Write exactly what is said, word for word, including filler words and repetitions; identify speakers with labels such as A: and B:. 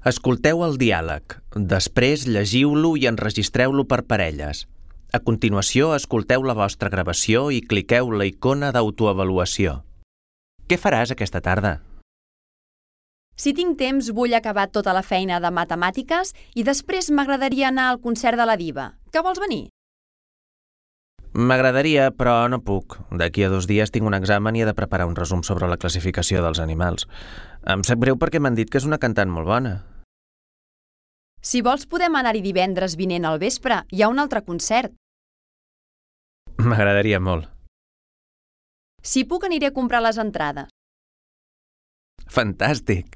A: Escolteu el diàleg, després llegiu-lo i enregistreu-lo per parelles. A continuació, escolteu la vostra gravació i cliqueu la icona d'autoavaluació. Què faràs aquesta tarda?
B: Si tinc temps, vull acabar tota la feina de matemàtiques i després m'agradaria anar al concert de la diva. Que vols venir?
A: M'agradaria, però no puc. D'aquí a dos dies tinc un examen i he de preparar un resum sobre la classificació dels animals. Em sap greu perquè m'han dit que és una cantant molt bona.
B: Si vols, podem anar-hi divendres vinent al vespre. Hi ha un altre concert.
A: M'agradaria molt.
B: Si puc, aniré a comprar les entrades.
A: Fantàstic!